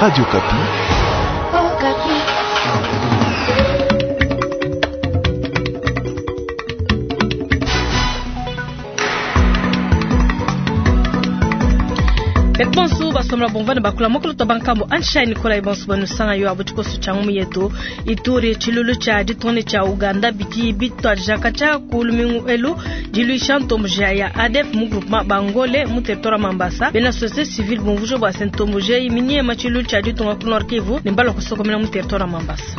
Radio Okapi. Bonsu basomla bomvana bakula mokolo to bankambo ansha Nikolai bonsu banusanga yo abu tshikoso tsha ngumu yetu Ituri tshilulu tsha ditunga tsha Uganda bidi bitwadijaka tsha ku lumingu elu diluisha ntomboji ya ADF mu groupement Bangole mu territoire Mambasa. Bena société civile bumvuja bua se ntomboji eyi minyema tshilulu tsha ditunga ku Nord Kivu ne mbalua kusokomena mu territoire Mambasa.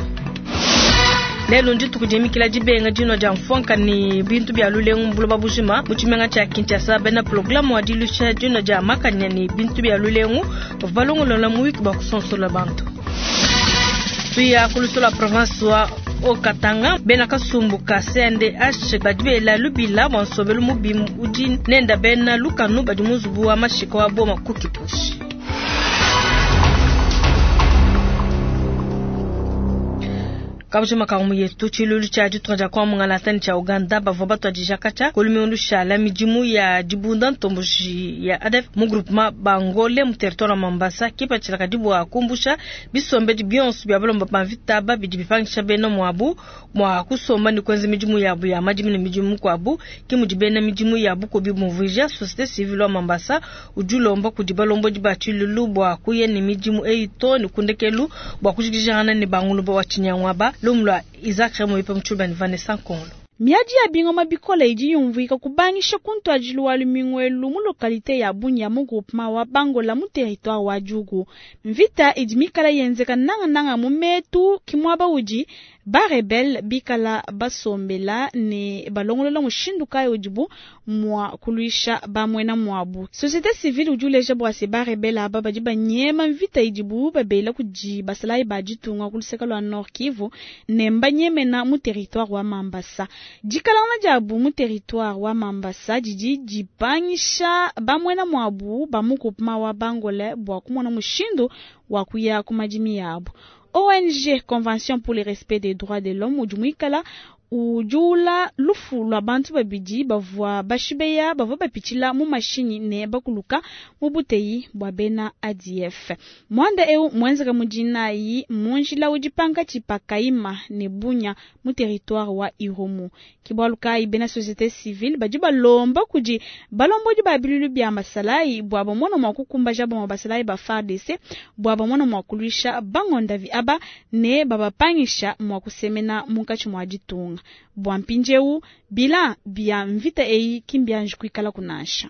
Lelu ndituku dimikila dibenga dinua dia mfuanka ne bintu bia lulengu mu buloba bujima. Mu tshimenga tshia Kinshasa, bena programe wa diluisha dinua dia makanya ne bintu bia lulengu bavua balongolola muyuki bua kusonsola bantu. Tuya ku lusolo lua province wa Haut-Katanga, bena kasumbu ka CNDH badi bela lubila bua nsombelu mubi udi nenda bena lukanu badi mu nzubu wa mashika wa Boma ku Kipushi. Kabujima ka ngumu yetu, tshilulu tshia ditunga dia Kongo mungalata ne tshia Uganda bavua batuadija katshia ku lumingu lushala midimu ya dibunda ntomboji ya ADF mu groupement Bangole mu territoire wa Mambasa. Kipatshila kadi bua kumbusha bisombedi bionso bia balomba ba mvita aba bidi bipangisha bena muabu mua kusomba ne kuenza midimu yabu ya madimi ne midimu mikuabu. Ke mudi bena midimu ya bukubi bumvuija. Societe civile wa Mambasa udi ulomba kudi balombodi ba tshilulu bua kuya ne midimu eyi too ne ku ndekelu bua kujikijangana ne banguluba wa tshinyangu aba. Lumu lua Isaac Remoyo mu Tshiluba ne Vanessa Nkongolo. Miadi ya bingoma bikole idi yumvuika kubangisha ku ntuadijilu wa lumingu elu mu lokalite ya Bunia mu groupement wa Bangola mu territoire wa Djugu. Mvita idi mikala yenzeka nangananga mu metu ki muaba udi ba rebelle bikala basombela ne balongolola mushindu kayi udibu mua kuluisha ba muena muabu. Societe civile udi uleja bua se ba rebelle aba badi banyema mvita idibu babela kudi basalayi ba ditunga ku luseke lua Nord Kivu ne mbanyemena mu territoire wa Mambasa. Dikalangana diabu mu territoire wa Mambasa didi dipangisha ba muena muabu ba mu groupement wa Bangole bua kumona mushindu wa kuya ku madimi yabu. ONG Convention pour le respect des droits de l'homme udi muikala udiula lufu lua bantu babidi bavua bashibeya bavua bapitshila mu mashinyi ne bakuluka mu buteyi bua bena ADF. Muanda eu muenzeka mu dinayi mu njila udi pankatshi pa Kaima ne Bunia mu territoire wa Irumu. Ke bualu kayi bena société civile badi balomba kudi balombodi ba bilulu bia masalayi bua bamona mua kukumbaja bamue basalayi ba FARDC bua bamona mua kuluisha bangondavi aba ne babapangisha mua kusemena munkatshi mua ditunga. Bua mpindieu bilan bia mvita eyi ki mbianji kuikala kunansha.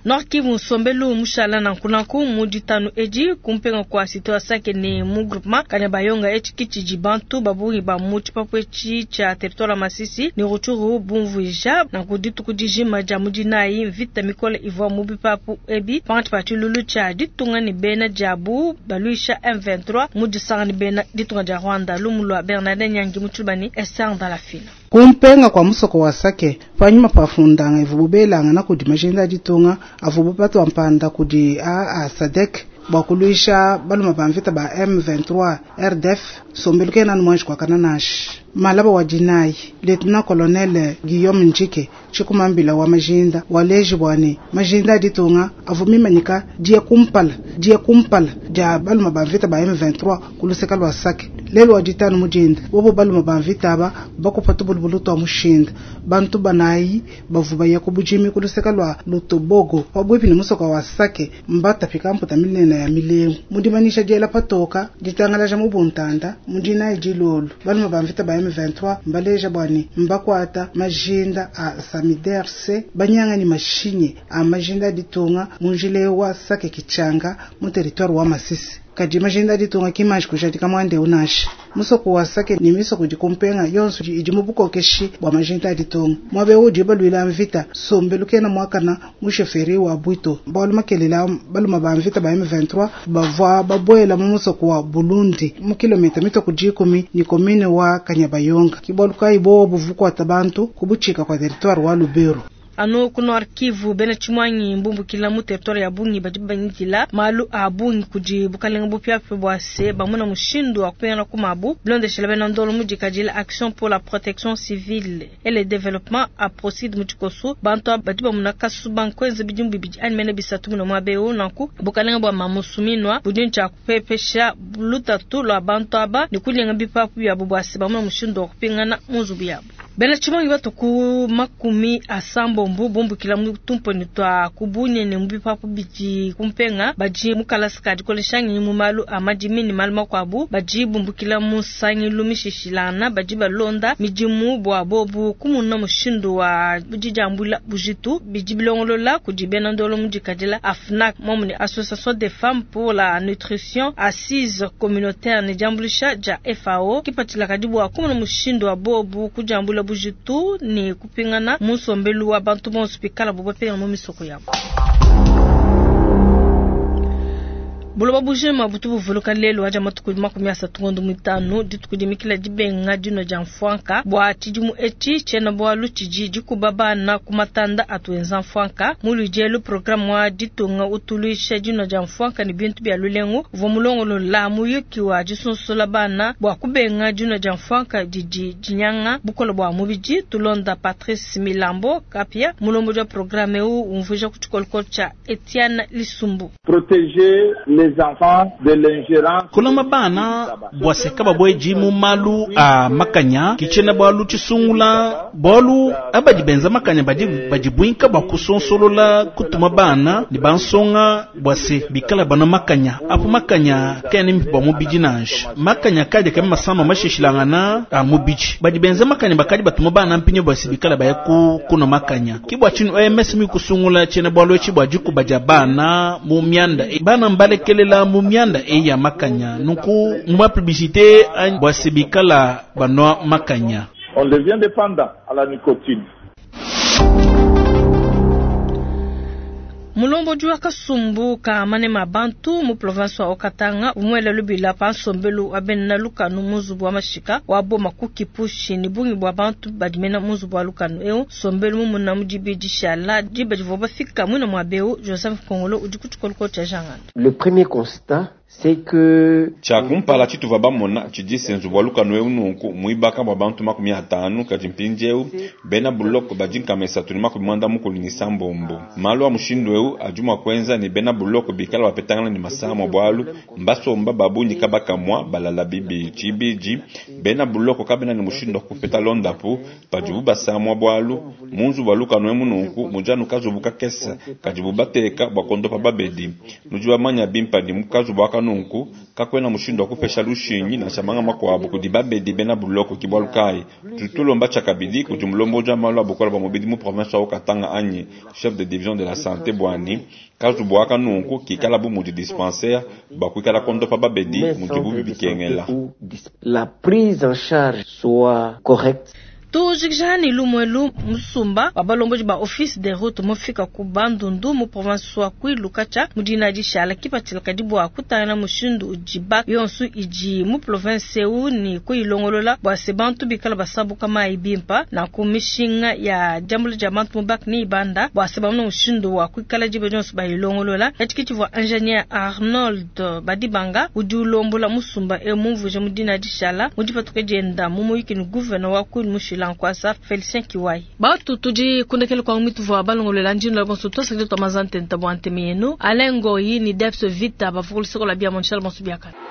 Nord Kivu nsombelu mushala nanku nanku mu ditanu edi kumpenga kua cité wa Sake ne mu groupement Kanyabayonga etshi kitshidi bantu babungi ba mu tshipapu etshi tshia territoire Masisi ne Rutshuru bumvuija nanku dituku dijima dia mu dinayi mvita mikole ivua mu bipapu ebi pankatshi pa tshilulu tshia ditunga ne bena diabu baluisha M23 mu disanga ne bena ditunga dia Rwanda. Lumu lua Bernardin Nyangi mu Tshiluba ne Esther Ndalafina. Kumpenga kwa musoko wa Sake panyima pa fundanga ivubu belangana kudi majinda ditunga avubu batwa mpanda kudi AA SADC bua kuluisha baluma ba mvita ba M23 RDF sombelu kena mwanji kwa kananashi. Malaba wa dinayi Lieutenant Colonel Guillaume Njike tshikumambila wa majinda waleji bwane majinda ditunga avumimanyika dia kumpala dia kumpala dia baluma ba mvita ba M23 kuluseka lwa Sake. Lelo wa ditanu mujinda bobo baluma ba mvita aba bakupa tubulubulu twa mushinda bantu banayi bavuba ya kubujimi kuluseka lwa Lutobogo pabwipi ni musoka wa Sake mbatapika mputa minene ya milengo mudimanisha diela patoka ditangalaja mu buntanda mudinayi dilolo baluma ba mvita ba M23 mbaleja bwane mbakwata majinda a Samiderse banyanga ni mashinye a majinda ditunga munjile wa Sake Kichanga mu territoire wa Masisi. Kadi majinda ditunga kimanji kujadika mwande unashi musoko wa Sake ni misoko dikumpenga yonso idi mu bukokeshi bwa majinda ditunga mwabe udi balwila mvita sombelu kena mwakana musheferi wa Bwito baluma kelela baluma ba mvita ba M23 bavwa babwela mu musoko wa Burundi mu kilomita mitoko 10 ni commune wa Kanyabayonga kibaluka ibo buvukwata bantu kubuchika kwa territoire wa Lubero. Anu ku Nord Kivu, bena tshimuangi mbumbukila mu territoire ya bungi badi bangidila malu a bungi kudi bukalenga bupiapia bua se bamona mushindu wa kupingana ku mabu bilondeshela bena ndolo mudikadila Action pour la protection civile et le développement APROCID mu tshikosu. Bantu aba badi bamona kasuba nkuenza bidimu bibidi anyi mene bisatu muna muaba eu. Nanku bukalenga bua Mamu Suminwa budi ne tshia kupepesha lutatu lua bantu aba ne kulenga bipapu biabu bua se bamona mushindu wa kupingana mu nzubu yabu. Bena tshimuangi batu ku 80 bumbukila mu tumponi tua ku Bunia ne mu bipapu bidi ku mpenga badi mu kalasa ka dikolesha ngenyi mu malu a madimi ne malu makuabu badi bumbukila mu nsangilu mishishilangana badi balonda midimu bua bobu kumuna mushindu wa didiambuila bujitu bidi bilongolola kudi bena ndolo mudikadila AFNAC momu ne Association des femmes pour la nutrition assise communautaire ne diambuluisha dia FAO kipatshila kadi bua kumuna mushindu wa bobu kudiambula bujitu ne kupingana mu nsombelu wa bantu bonso pikala bo bapingana mu misoko yabo. Buloba bujima butu buvuluka lelu aja matuku 35 ngondo mitano dituku dimikila dibenga dino dia mfwanka bua tshidimu etshi tshiena bualu tshidi dikuba bana ku matanda atuenza mfwanka mu ludielu programme wa ditunga utuluisha dino dia mfwanka ne bintu bia lulengu uvua mulongolola muyuki wa disunsola bana bua kubenga dino dia mfwanka didi dinyanga bukole bua mubidi. Tulonda Patrice Milambo Kapia mulombo wa programme eu umvuija ku tshikolokolo tshia Etienne Lisumbu. Protéger les enfants de l'ingérence. Kulama bana bwaseka babweji mu malu a makanya kichena bwalu chisungula bwalu abadi benza makanya badi bajibwinka bwa kusonsolola kutuma bana ni bansonga bwase bikala bana makanya apo makanya kene bwa mubiji nanje makanya kaje kama masama mashishilangana a mubiji badi benza makanya bakadi batuma bana mpinyo bwase bikala baya ku kuno makanya kibwa chinu OMS mi kusungula chena bwalu echi bwa jikuba bana mu myanda bana mbalekelela mu myanda e ya makanya nuku mwa publicité an bwase bikala banwa makanya. On devient dépendant à la nicotine. Mulombo jua kasumbu ka manema bantu mu province wa Okatanga umwele lubila pa nsombelu abena lukanu muzubu wa mashika wa boma kukipushi ni bungi bwa bantu badimena muzubu wa lukanu eu sombelu mumuna mudibi dishala diba divoba fika mwina mwa beu Joseph Kongolo udi kutshikoloko tshia jangana. Le premier constat c'est que chakumpala chituva bamona chidise nzubu wa lukanu eu nunku muibaka bwa bantu 50 kadi mpindieu bena buloko badi nkamesa tuni 97 malu a mushindu eu adi mua kuenza ni bena buloko bikala bapetangana ni masamwa bwalu mbasomba babunyi kabakamwa balala bibi chibiji bena buloko kabena ni mushindu wa kupeta londapu padibu basamwa bwalu munzu bwa lukanu emu nunku mujanu kazubu kakesa kadibu bateka bwa kondopa babedi nudi bamanya bimpa ni mukazubu aka nunku kakwena mushindu wa kupesha lushinyi na shamanga makwabo kudi babedi bena buloko kibwalu kai tutulomba chakabidi kudi mulombo ja malu abukola ba mubidi mu province wa Katanga anyi chef de division de la santé bwani kazubu aka nunku kikala bu mudi dispensaire bakwikala kondopa babedi mudibu bibikengela. La prise en charge soit correcte. Tujikijani lumwelu musumba wa balomboji ba office de route mufika ku Bandundu mu province wa Kwilu kacha mudina dishala kipatshila kadi bua kutangana mushindu ujiba yonsu iji mu province eu ni kuilongolola bua se bantu bikala basabuka mai bimpa na kumishinga ya jambulu ja bantu mubak ni ibanda bua se bamuna mushindu wa kuikala jibe yonsu bayilongolola etikiti vua ingénieur Arnold Badibanga udi ulombola musumba eu mumvuje mudina dishala mudipatuka dienda mu muyiki ni gouverneur wa Kwilu mushila Nkwasa Felicien Kiwai. Batu tudi kundekele kwa mitu vwa balongolela njino la bonso to sakito mazante ntabwa antemienu. Alengo yi ni Debs Vita bavukulu sikola bia monchal bonso biakana.